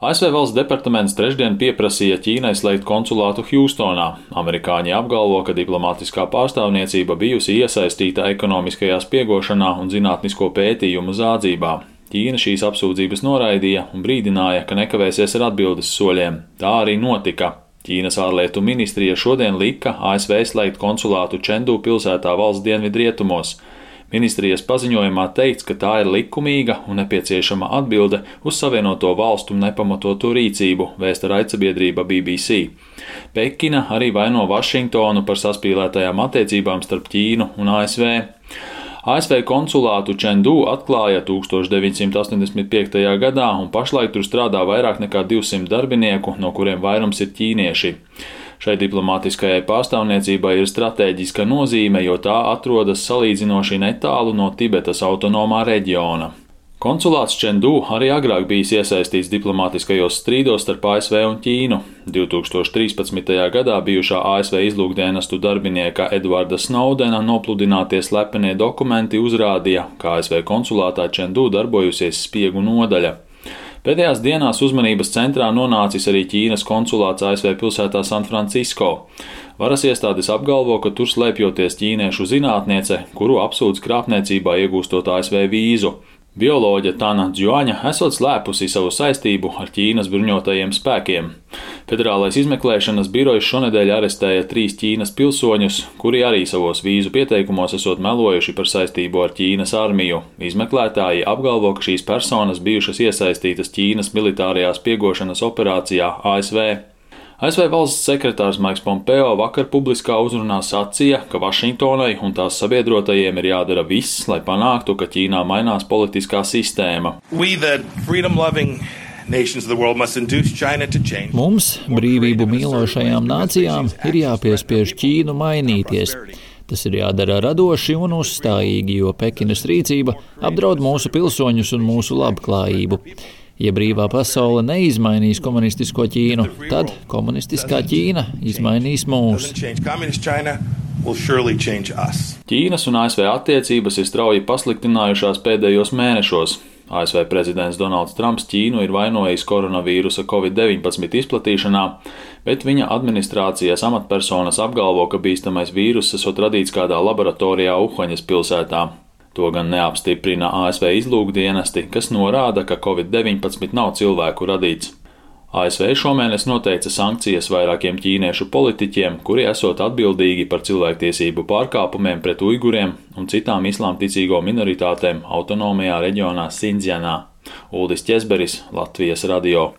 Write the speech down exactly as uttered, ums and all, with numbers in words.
A S V valsts departaments trešdien pieprasīja Ķīnai slēgt konsulātu Hjūstonā. Amerikāņi apgalvo, ka diplomātiskā pārstāvniecība bijusi iesaistīta ekonomiskajā spiegošanā un zinātnisko pētījumu zādzībā. Ķīna šīs apsūdzības noraidīja un brīdināja, ka nekavēsies ar atbildes soļiem. Tā arī notika. Ķīnas ārlietu ministrija šodien lika A S V slēgt konsulātu Čendu pilsētā valsts dienvidrietumos. Ministrijas paziņojumā teikts, ka tā ir likumīga un nepieciešama atbilde uz Savienoto valstu nepamatoto rīcību, vēsta raidsabiedrība B B C. Pekina arī vaino Vašingtonu par saspīlētajām attiecībām starp Ķīnu un A S V. A S V konsulātu Čendu atklāja tūkstoš deviņsimt astoņdesmit piektajā gadā, un pašlaik tur strādā vairāk nekā divsimt darbinieku, no kuriem vairums ir ķīnieši. Šai diplomātiskajai pārstāvniecībai ir stratēģiska nozīme, jo tā atrodas salīdzinoši netālu no Tibetas autonomā reģiona. Konsulāts Čendu arī agrāk bijis iesaistīts diplomātiskajos strīdos starp A S V un Ķīnu. divtūkstoš trīspadsmitajā gadā bijušā A S V izlūkdienestu darbinieka Edvarda Snowdena nopludinātie slepenie dokumenti uzrādīja, ka A S V konsulātā Čendu darbojusies spiegu nodaļa. Pēdējās dienās uzmanības centrā nonācis arī Ķīnas konsulāts A S V pilsētā San Francisco. Varas iestādes apgalvo, ka tur slēpjoties ķīniešu zinātniece, kuru apsūdz krāpniecībā iegūstot A S V vīzu. Bioloģe Tana Džuaņa esot slēpusi savu saistību ar Ķīnas bruņotajiem spēkiem. Federālais izmeklēšanas birojs šonedēļ arestēja trīs Ķīnas pilsoņus, kuri arī savos vīzu pieteikumos esot melojuši par saistību ar Ķīnas armiju. Izmeklētāji apgalvo, ka šīs personas bijušas iesaistītas Ķīnas militārajā spiegošanas operācijā A S V. A S V valsts sekretārs Maiks Pompeo vakar publiskā uzrunā sacīja, ka Vašingtonai un tās sabiedrotajiem ir jādara viss, lai panāktu, ka Ķīnā mainās politiskā sistēma. Mums, brīvību mīlošajām nācijām, ir jāpiespiež Ķīnu mainīties. Tas ir jādara radoši un uzstājīgi, jo Pekinas rīcība apdraud mūsu pilsoņus un mūsu labklājību. Ja brīvā pasaule neizmainīs komunistisko Ķīnu, tad komunistiskā Ķīna izmainīs mūs. Ķīnas un A S V attiecības ir strauji pasliktinājušās pēdējos mēnešos. A S V prezidents Donalds Trumps Ķīnu ir vainojis koronavīrusa covid deviņpadsmit izplatīšanā, bet viņa administrācijas amatpersonas apgalvo, ka bīstamais vīruss esot radīts kādā laboratorijā Uhaņas pilsētā. To gan neapstiprina A S V izlūkdienesti, kas norāda, ka covid deviņpadsmit nav cilvēku radīts. A S V šomēnes noteica sankcijas vairākiem ķīniešu politiķiem, kuri esot atbildīgi par cilvēktiesību pārkāpumiem pret uiguriem un citām islāmticīgo minoritātēm autonomajā reģionā Sindzjanā. Uldis Ķezberis, Latvijas radio.